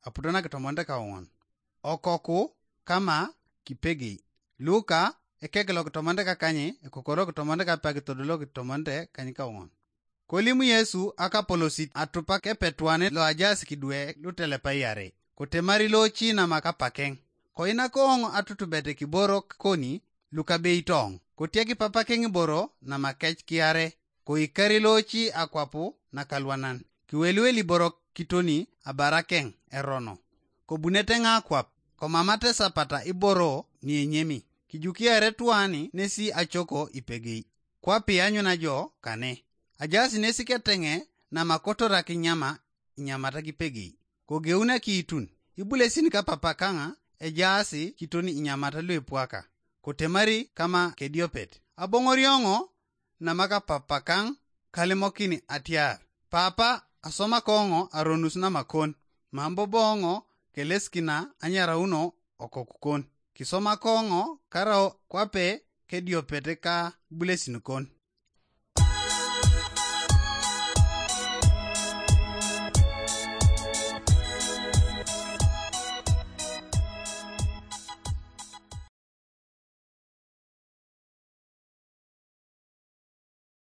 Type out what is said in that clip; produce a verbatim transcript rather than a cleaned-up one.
aputo nakitomonete kaoŋon. Okoku kama kipegei. Luka ekek lokitomonete kakany, ekokoro lokitomonete kapak todolo lokitomonete kanykaoŋon. Kolim Yesu akapolosit atupak epetuanet loajaas kidwe lutelepai iare, kotemari looci namakapakeŋ. Koinakoŋ atutubet kiboro koni lukabeitoŋ, kotiak papakeŋ iboro namakec kiare, koikari looci akwapu nakalwanan, kiweliwel iboro kitoni abarakeŋ erono. Kobunete ŋakwap, komamate sapata iboro nienyemi, kijukiare tuani nesi acoko ipegei. Kwapi anyuna jo kane. Ajaas nesi keteŋe namakotorak inyama inyamata kipegei. Kogeun akiitun, ibulesin kapapakaŋa ejaasi kitoni inyamata luepwaka, kotemari kama kediopet. Aboŋorioŋo namakapapakaŋ kalimokin atiar, papa, asomakoŋo aronus namakon, mam boboŋo kelesikina anyarauno okokukon. Kisomakoŋo karau kwape kediopet ka bulesinukon.